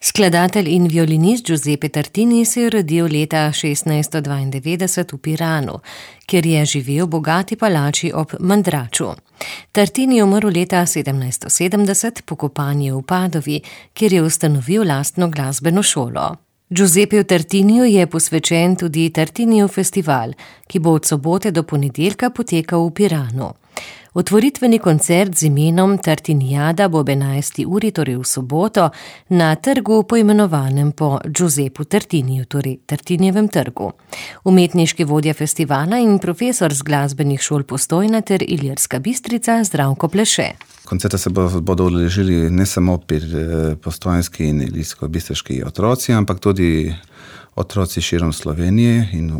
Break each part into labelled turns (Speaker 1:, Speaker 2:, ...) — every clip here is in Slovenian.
Speaker 1: Skladatelj in violinist Giuseppe Tartini se je rodil leta 1692 v Piranu, kjer je živel v bogati palači ob Mandraču. Tartini je umrl leta 1770, pokopan je v Padovi, kjer je ustanovil lastno glasbeno šolo. Giuseppeju Tartiniju je posvečen tudi Tartinijev festival, ki bo od sobote do ponedeljka potekal v Piranu. Otvoritveni koncert z imenom Tartinijada bo ob 11. uri, torej v soboto, na trgu poimenovanem po Giuseppu Tartiniju, torej Tartinijevem trgu. Umetniški vodja festivala in profesor z glasbenih šol Postojna ter Ilirska Bistrica Zdravko Pleše.
Speaker 2: Koncerta se bodo udeležili ne samo postojnski in ilirsko-bistriški otroci, ampak tudi otroci širom Slovenije in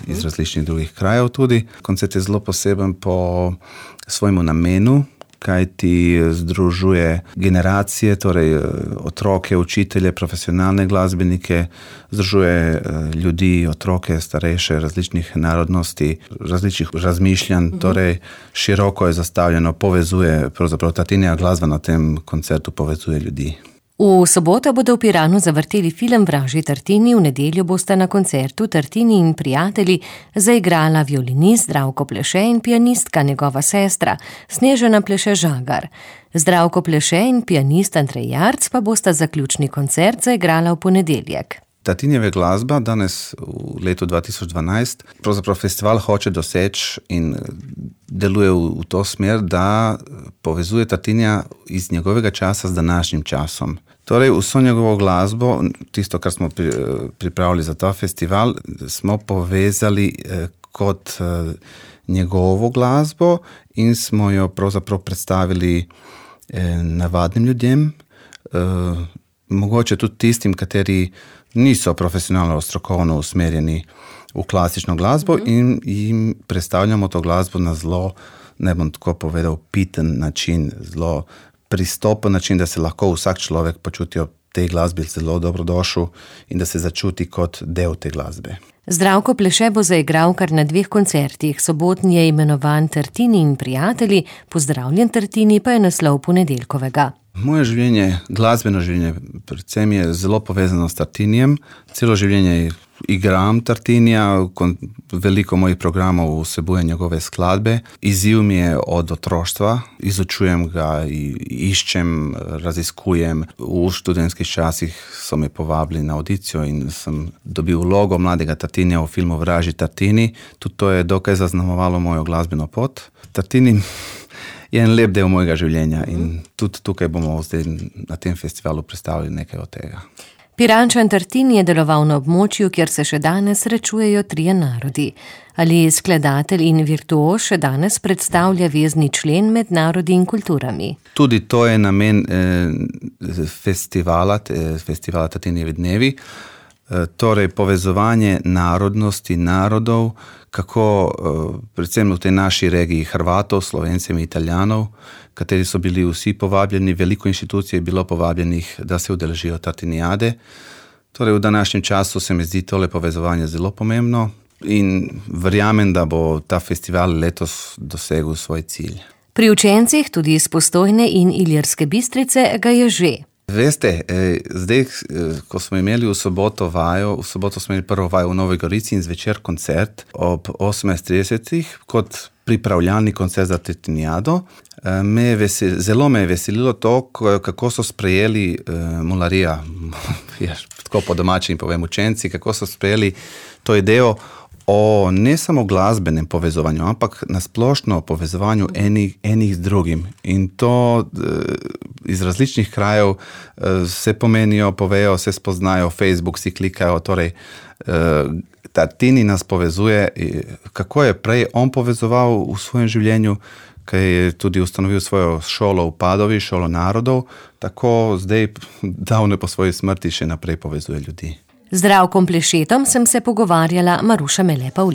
Speaker 2: iz različnih drugih krajev tudi. Koncert je zelo poseben po svojemu namenu, kajti združuje generacije, torej otroke, učitelje, profesionalne glasbenike, združuje ljudi, otroke, starejše, različnih narodnosti, različnih razmišljanj, torej široko je zastavljeno, povezuje, pravzaprav Tartinijeva glasba na tem koncertu povezuje ljudi.
Speaker 1: V soboto bodo v Piranu zavrteli film Vražji Tartini, v nedeljo bosta na koncertu Tartini in prijatelji zaigrala violinist Zdravko Pleše in pianistka, njegova sestra Snežana Pleše Žagar. Zdravko Pleše in pianist Andrej Jarc pa bosta zaključni koncert zaigrala v ponedeljek.
Speaker 2: Tartinijeva glasba danes v letu 2012 pravzaprav festival hoče doseči in deluje v to smer, da povezuje Tartinija iz njegovega časa z današnjim časom. Torej, vso njegovo glasbo, tisto, kar smo pripravili za ta festival, smo povezali kot njegovo glasbo in smo jo pravzaprav predstavili navadnim ljudem, mogoče tudi tistim, kateri niso profesionalno, strokovno usmerjeni v klasično glasbo in jim predstavljamo to glasbo na zelo, ne bom tako povedal, piten način, zelo pristopen način, da se lahko vsak človek počuti ob tej glasbi zelo dobrodošel in da se začuti kot del te glasbe.
Speaker 1: Zdravko Pleše bo zaigral kar na 2 koncertih. Sobotni je imenovan Tartini in prijatelji, Pozdravljen Tartini pa je naslov ponedeljkovega.
Speaker 2: Moje življenje, glasbeno življenje, predvsem je zelo povezano s Tartinijem. Celo življenje igram Tartinija, veliko mojih programov vsebuje njegove skladbe. Izziv mi je od otroštva, izučujem ga, iščem, raziskujem. V študentskih časih so me povabili na audicijo in sem dobil vlogo mladega Tartinija v filmu Vražji Tartini. Tudi to je dokaj zaznamovalo mojo glasbeno pot. Tartini je en lep del mojega življenja in tudi tukaj bomo zdaj na tem festivalu predstavili nekaj od tega.
Speaker 1: Pirančan Tartini je deloval na območju, kjer se še danes srečujejo 3 narodi. Ali skladatelj in virtuoz še danes predstavlja vezni člen med narodi in kulturami?
Speaker 2: Tudi to je namen festivala Tartinijevi dnevi. Torej povezovanje narodnosti, narodov, kako predvsem v tej naši regiji Hrvatov, Slovencem in Italijanov, kateri so bili vsi povabljeni, veliko inštitucij je bilo povabljenih, da se udeležijo Tartinijade. Torej v današnjem času se mi zdi tole povezovanje zelo pomembno in verjamem, da bo ta festival letos dosegel svoj cilj.
Speaker 1: Pri učencih, tudi iz Postojne in Ilirske Bistrice, ga je že.
Speaker 2: Veste, zdaj, ko smo imeli v soboto smo imeli prvo vajo v Novi Gorici in zvečer koncert ob 18:30 kot pripravljalni koncert za Tartinijado. Zelo me je veselilo to, kako so sprejeli mularija, tako po domačem povem učenci, kako so sprejeli to idejo o ne samo glasbenem povezovanju, ampak na splošno povezovanju enih z drugim. In to iz različnih krajev se pomenijo, povejo, se spoznajo, Facebook si klikajo, torej Tartini nas povezuje, kako je prej on povezoval v svojem življenju, ki je tudi ustanovil svojo šolo v Padovi, šolo narodov, tako zdaj davno po svoji smrti še naprej povezuje ljudi.
Speaker 1: Z Zdravkom Plešetom sem se pogovarjala Maruša Mele-Pavlin.